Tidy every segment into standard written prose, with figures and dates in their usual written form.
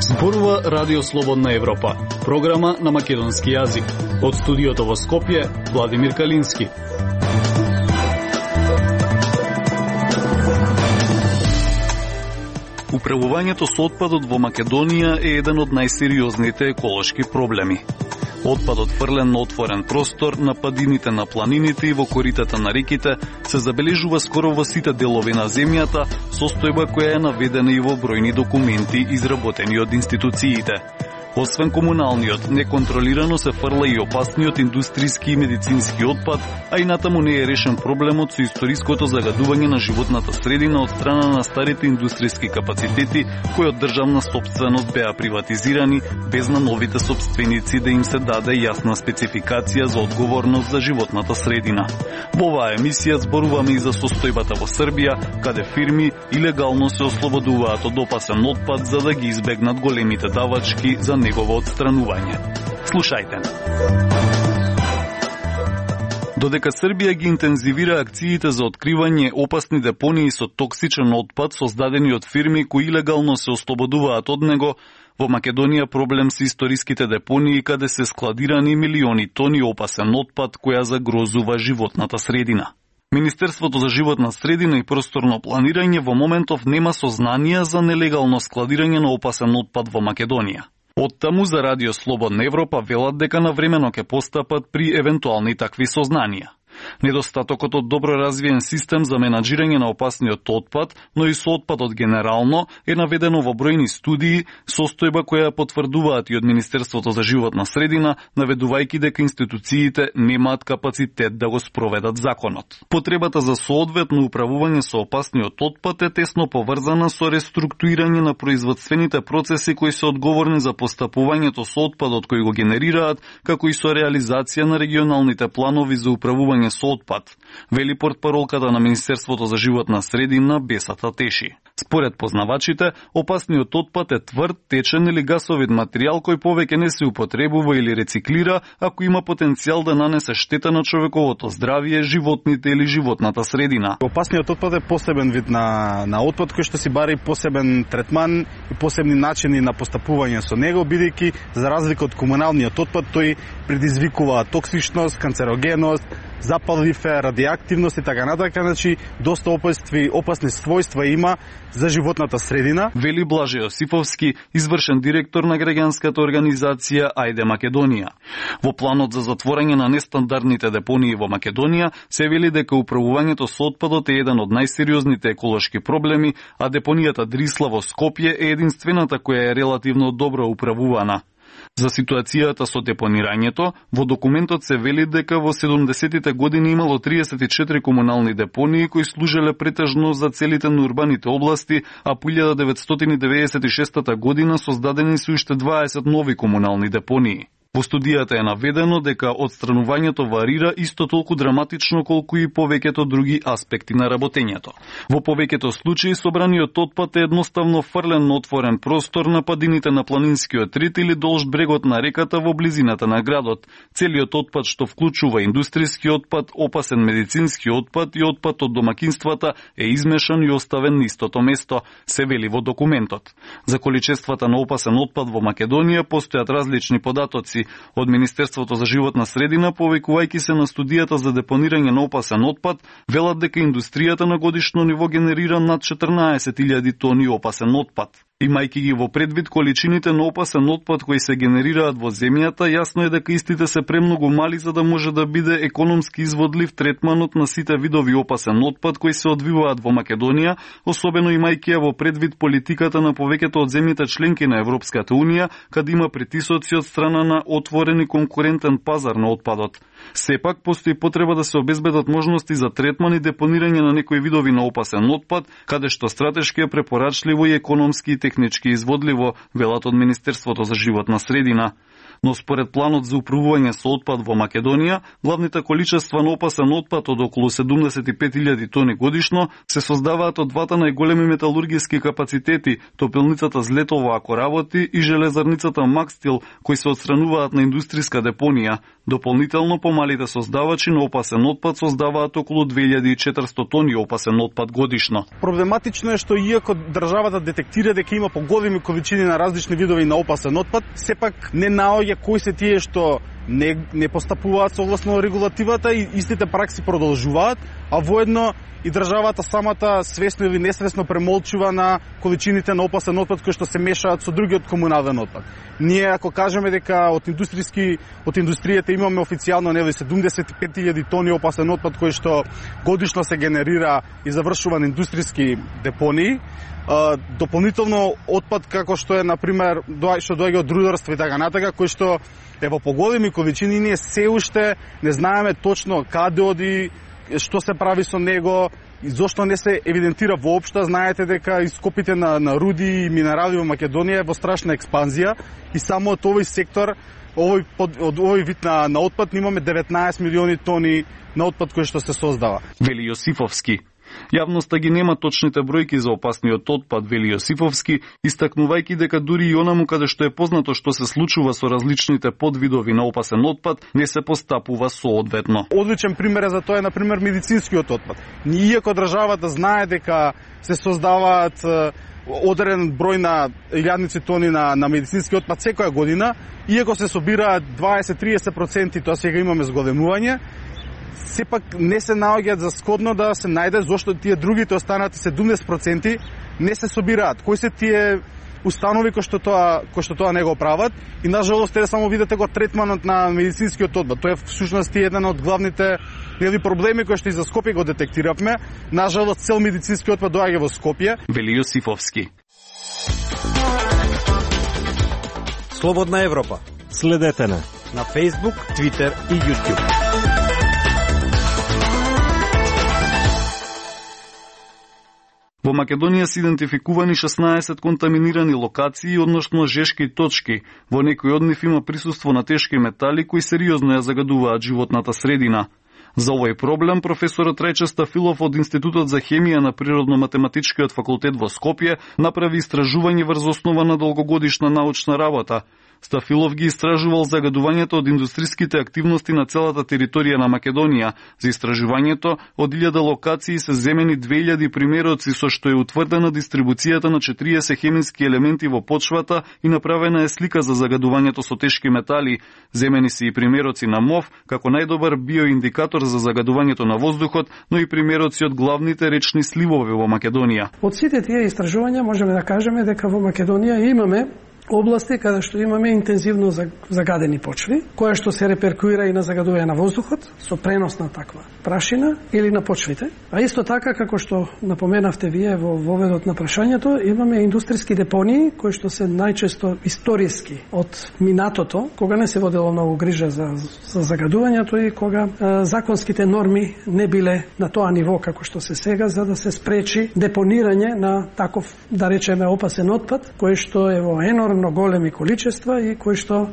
Зборува Радио Слободна Европа, програма на македонски јазик. Од студиото во Скопје, Владимир Калински. Управувањето со отпадот во Македонија е еден од најсериозните еколошки проблеми. Отпадот фрлен на отворен простор, на падините на планините и во коритата на реките се забележува скоро во сите делови на земјата, состојба која е наведена и во бројни документи изработени од институциите. Освен комуналниот, неконтролирано се фрла и опасниот индустријски и медицински отпад, а и натаму не е решен проблемот со историското загадување на животната средина од страна на старите индустријски капацитети кои од државна сопственост беа приватизирани, без на новите сопственици да им се даде јасна спецификација за одговорност за животната средина. Во оваа емисија зборуваме и за состојбата во Србија, каде фирми илегално се ослободуваат од опасен отпад за да ги избегнат големите давачки за негово отстранување. Слушајте. Додека Србија ги интензивира акциите за откривање опасни депонии со токсичен отпад создадени од фирми кои илегално се ослободуваат од него, во Македонија проблем се историските депонии каде се складирани милиони тони опасен отпад која загрозува животната средина. Министерството за животна средина и просторно планирање во моментов нема сознанија за нелегално складирање на опасен отпад во Македонија. Оттаму за Радио Слободна Европа велат дека навремено ќе постапат при евентуални такви сознанија. Недостатокот од добро развиен систем за менаџирање на опасниот отпад, но и со отпадот генерално, е наведено во бројни студии, состојба која потврдуваат и од Министерството за животна средина, наведувајќи дека институциите немаат капацитет да го спроведат законот. Потребата за соодветно управување со опасниот отпад е тесно поврзана со реструктурирање на производствените процеси кои се одговорни за постапувањето со отпадот кој го генерираат, како и со реализација на регионалните планови за управување со отпад, вели портпаролката на Министерството за животна средина Бесата Теши. Според познавачите, опасниот отпад е тврд, течен или гасовит материјал кој повеќе не се употребува или рециклира, ако има потенцијал да нанесе штета на човековото здравје, животните или животната средина. Опасниот отпад е посебен вид на отпад кој што си бари посебен третман и посебни начини на постапување со него, бидејќи за разлика од комуналниот отпад тој предизвикува токсичност, канцерогеност, запалливе, радиоактивност и така натака, значи доста опасни својства има за животната средина. Вели Блаже Јосифовски, извршен директор на граѓанската организација Ајде Македонија. Во планот за затворање на нестандардните депонии во Македонија се вели дека управувањето со отпадот е еден од најсериозните еколошки проблеми, а депонијата Дрисла во Скопје е единствената која е релативно добро управувана. За ситуацијата со депонирањето, во документот се вели дека во 70-тите години имало 34 комунални депонии кои служеле претежно за целите на урбаните области, а по 1996 година создадени се уште 20 нови комунални депонии. Во студијата е наведено дека отстранувањето варира исто толку драматично колку и повеќето други аспекти на работењето. Во повеќето случаи собраниот отпад е едноставно фрлен на отворен простор на падините на планинскиот рид или долж брегот на реката во близината на градот. Целиот отпад што вклучува индустријски отпад, опасен медицински отпад и отпад од домакинствата е измешан и оставен на истото место, се вели во документот. За количествата на опасен отпад во Македонија постојат различни податоци. Од Министерството за животна средина, повикувајќи се на студијата за депонирање на опасен отпад, велат дека индустријата на годишно ниво генерира над 14.000 тони опасен отпад. Имајќи ги во предвид количините на опасен отпад кои се генерираат во земјата, јасно е дека истите се премногу мали за да може да биде економски изводлив третманот на сите видови опасен отпад кои се одвиваат во Македонија, особено имајќи ја во предвид политиката на повеќето од земјите членки на Европската унија, каде има притисоци од страна на отворен и конкурентен пазар на отпадот. Сепак, постои потреба да се обезбедат можности за третман и депонирање на некои видови на опасен отпад, каде што стратешки е препорачливо и економски и технички изводливо, велат од Министерството за животна средина. но според планот за управување со отпад во Македонија, главните количества на опасен отпад од околу 75.000 тони годишно се создаваат од двата најголеми металургиски капацитети, топилницата Злетово ако работи и железарницата Макстил, кои се отстрануваат на индустријска депонија. Дополнително помалите создавачи на опасен отпад создаваат околу 2400 тони опасен отпад годишно. Проблематично е што иако државата детектира дека има поголеми количини на различни видови на опасен отпад, сепак не наоѓа кои се тие што не постапуваат согласно регулативата и истите пракси продолжуваат, а воедно и државата самата свесно или несвесно премолчува на количините на опасен отпад кои што се мешаат со другиот комунален отпад. Ние ако кажеме дека од индустријата имаме официјално 75.000 тони опасен отпад кој што годишно се генерира и завршува на индустријски депонии, дополнително отпад како што е на пример што доаѓа од рударство и така натака, кој што е во поголеми количини, ние се уште не знаеме точно каде оди, што се прави со него и зошто не се евидентира воопшто. Знаете дека ископите на руди и минерали во Македонија е во страшна експанзија и само од овој сектор, од овој вид на отпад имаме 19 милиони тони на отпад кој што се создава. Вели Јосифовски. Јавноста ги нема точните бројки за опасниот отпад, вели Јосифовски, истакнувајќи дека дури и онаму каде што е познато што се случува со различните подвидови на опасен отпад, не се постапува соодветно. Одличен пример е за тоа е на пример медицинскиот отпад. Иако државата знае дека се создаваат одреден број на илјадници тони на медицински отпад секоја година, иако се собираат 20-30%, тоа сега имаме зголемување, сепак не се наоѓаат за сходно да се најде зошто тие другите останати 70% не се собираат. Кои се тие установи кои што тоа не го прават и нажалост е само видите го третманот на медицинскиот отпад. Тоа е всушност еден од главните проблеми кои што и за Скопје го детектиравме. Нажалост цел медицински отпад доаѓа во Скопје. Вели Јосифовски. Слободна Европа. Следете на Facebook, Twitter и YouTube. Во Македонија се идентификувани 16 контаминирани локации, односно жешки точки. Во некои од нив има присуство на тешки метали кои сериозно ја загадуваат животната средина. За овој проблем професорот Рајче Стафилов од Институтот за хемија на Природно-математичкиот факултет во Скопје направи истражување врз основа на долгогодишна научна работа. Стафилов ги истражувал загадувањето од индустријските активности на целата територија на Македонија. За истражувањето од 1000 локации се земени 2000 примероци со што е утврдена дистрибуцијата на 40 хемиски елементи во почвата и направена е слика за загадувањето со тешки метали. Земени се и примероци на МОВ како најдобар биоиндикатор за загадувањето на воздухот, но и примероци од главните речни сливови во Македонија. Од сите тие истражувања можеме да кажеме дека во Македонија имаме области каде што имаме интензивно загадени почви, која што се реперкуира и на загадување на воздухот со пренос на таква прашина или на почвите. А исто така, како што напоменавте вие во воведот на прашањето, имаме индустријски депонии кои што се најчесто историски од минатото, кога не се водело многу грижа за загадувањето и кога законските норми не биле на тоа ниво како што се сега, за да се спречи депонирање на таков, да речеме, опасен отпад, кој што е во енормно големи количества и кој што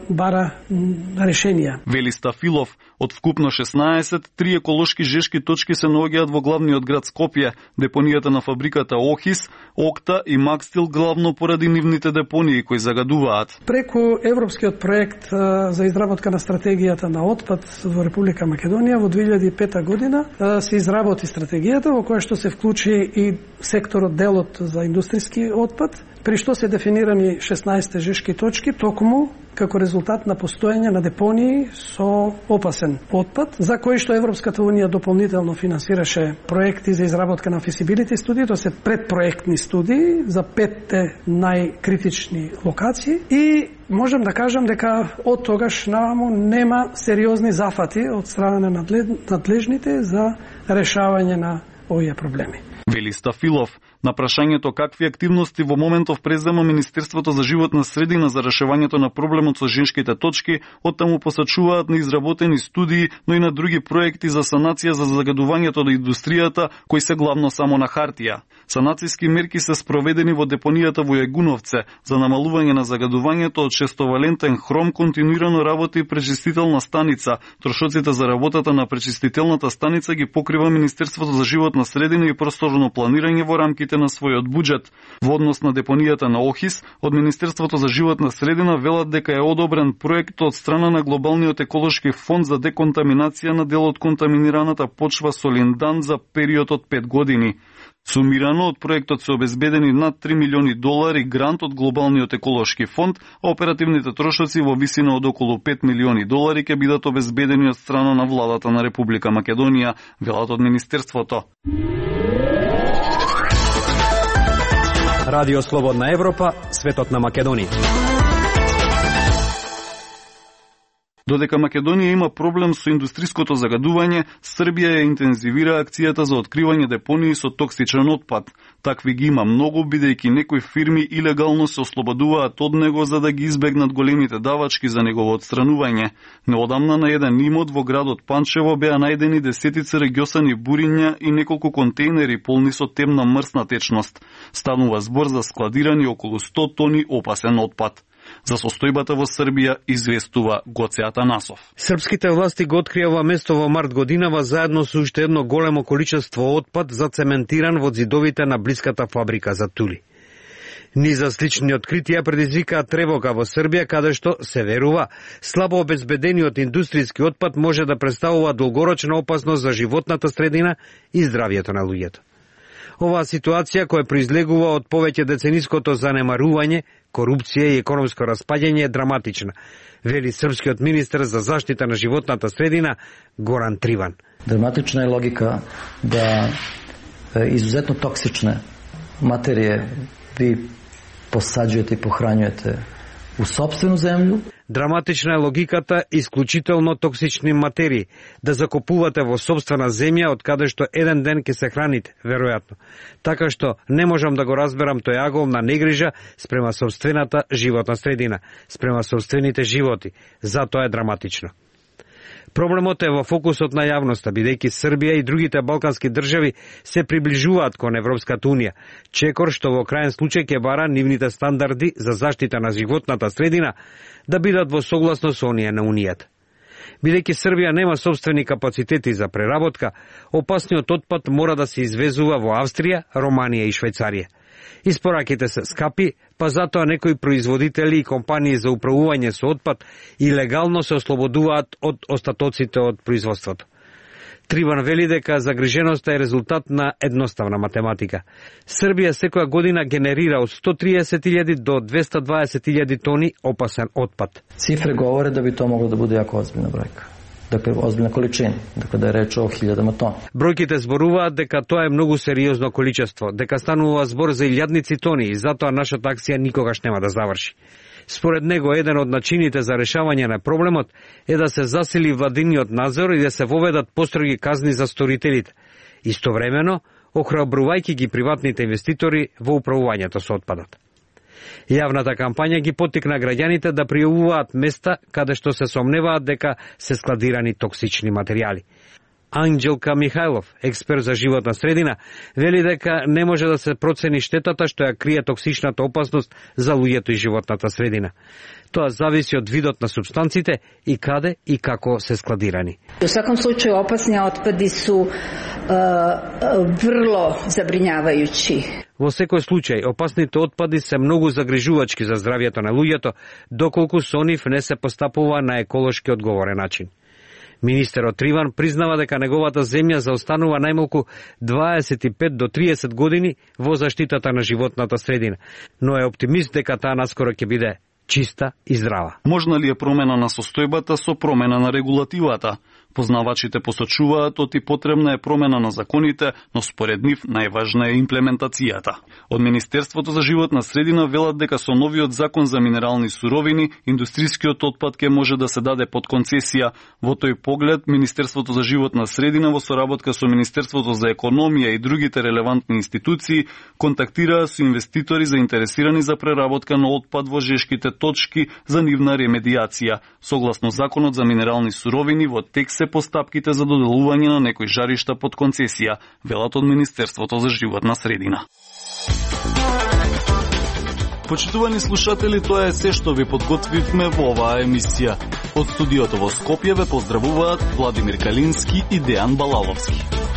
бара решенија. Вели Стафилов, од вкупно 16, 3 еколошки жешки точки се наоѓаат во главниот град Скопје, депонијата на фабриката Охис, Окта и Макстил, главно поради нивните депонии кои загадуваат. Преку европскиот проект за изработка на стратегијата на отпад во Република Македонија во 2005 година се изработи стратегијата во која што се вклучи и секторот делот за индустријски отпад, при што се дефинирани 16 жешки точки, токму како резултат на постоење на депонии со опасен отпад, за кои што Европската Унија дополнително финансираше проекти за изработка на фисибилити студии, тоа се предпроектни студии за 5 најкритични локации и можам да кажам дека од тогаш наваму нема сериозни зафати од страна на надлежните за решавање на овие проблеми. Вели Стафилов, На прашањето какви активности во моментов презема Министерството за животна средина за решавањето на проблемот со женските точки, оттаму посачуваат на изработени студии, но и на други проекти за санација за загадувањето на индустријата, кои се главно само на хартија. Санацијски мерки се спроведени во депонијата во Јагуновце за намалување на загадувањето од шестовалентен хром, континуирано работи пречистителна станица. Трошоците за работата на пречистителната станица ги покрива Министерството за животна средина и просторно планирање во рамките на својот буџет. Во однос на депонијата на Охис, од Министерството за животна средина велат дека е одобрен проект од страна на Глобалниот еколошки фонд за деконтаминација на дел од контаминираната почва со линдан за период од 5 години. Сумирано од проектот се обезбедени над $3 милиони грант од Глобалниот еколошки фонд, а оперативните трошоци во висина од околу $5 милиони ќе бидат обезбедени од страна на владата на Република Македонија, велат од Министерството. Радио Слободна Европа, светот на Македонија. Додека Македонија има проблем со индустриското загадување, Србија ја интензивира акцијата за откривање депонии со токсичен отпад. Такви ги има многу, бидејќи некои фирми илегално се ослободуваат од него за да ги избегнат големите давачки за негово отстранување. Неодамна на еден имот во градот Панчево беа најдени десетици регјосани буриња и неколку контейнери полни со темна мрсна течност. Станува збор за складирани околу 100 тони опасен отпад. За состојбата во Србија известува Гоце Атанасов. Српските власти го открија ова место во март годинава заедно со уште едно големо количество отпад зацементиран во зидовите на блиската фабрика за тули. Низа слични откритија предизвикаа тревога во Србија, каде што се верува слабо обезбедениот индустријски отпад може да представува долгорочна опасност за животната средина и здравјето на луѓето. Оваа ситуација, која произлегува од повеќе децениското занемарување, корупција и економско распаѓање, е драматична, вели српскиот министер за заштита на животната средина Горан Триван. Драматична е логика да изузетно токсичне материје ви посаѓувате и похрањувате у сопствenu земју. Драматична е логиката исклучително токсични материи да закупувате во сопствена земја од каде што еден ден ќе се храните, веројатно. Така што не можам да го разберам тој агол на негрижа спрема сопствената животна средина, спрема сопствените животи. Затоа е драматично. Проблемот е во фокусот на јавноста, бидејќи Србија и другите балкански држави се приближуваат кон Европската унија, чекор што во крајен случај ќе бара нивните стандарди за заштита на животната средина да бидат во согласно со оние на Унијата. Бидејќи Србија нема сопствени капацитети за преработка, опасниот отпад мора да се извезува во Австрија, Романија и Швајцарија. Испораките се скапи, па затоа некои производители и компании за управување со отпад илегално се ослободуваат од остатоците од производството. Триван вели дека загриженоста е резултат на едноставна математика. Србија секоја година генерира од 130.000 до 220.000 тони опасен отпад. Цифре говоре да би то могло да биде јако озбилна бројка. Dakle, ozbiljna količina, dakle da je reč o 1000 tona. Бројките зборуваат дека тоа е многу сериозно количество, дека станува збор за илјадници тони и затоа нашата акција никогаш нема да заврши. Според него, еден од начините за решавање на проблемот е да се засили владиниот надзор и да се воведат построги казни за сторителите. Истовремено, охрабрувајќи ги приватните инвеститори во управувањето со отпадот. Јавната кампања ги поттикна граѓаните да пријавуваат места каде што се сомневаат дека се складирани токсични материјали. Анџелка Михајлов, експерт за животна средина, вели дека не може да се процени штетата што ја крие токсичната опасност за луѓето и животната средина. Тоа зависи од видот на супстанците и каде и како се складирани. У сваком случају опасни отпади су врло забринјавајучи. Во секој случај, опасните отпади се многу загрижувачки за здравјето на луѓето, доколку со нив не се постапува на еколошки одговорен начин. Министерот Триван признава дека неговата земја заостанува најмалку 25 до 30 години во заштитата на животната средина, но е оптимист дека таа наскоро ќе биде чиста и здрава. Можна ли е промена на состојбата со промена на регулативата? Познавачите посочуваат оти потребна е промена на законите, но според нив најважна е имплементацијата. Од Министерството за животна средина велат дека со новиот закон за минерални суровини, индустрискиот отпад ќе може да се даде под концесија. Во тој поглед, Министерството за животна средина во соработка со Министерството за економија и другите релевантни институции контактираа со инвеститори заинтересирани за преработка на отпад во жешките точки за нивна ремедиација. Согласно законот за минерални суровини, во текст се постапките за доделување на некои жаришта под концесија, велат од Министерството за животна средина. Почитувани слушатели, тоа е се што ви подготвивме во оваа емисија. Од студиото во Скопје ве поздравуваат Владимир Калински и Дејан Балаловски.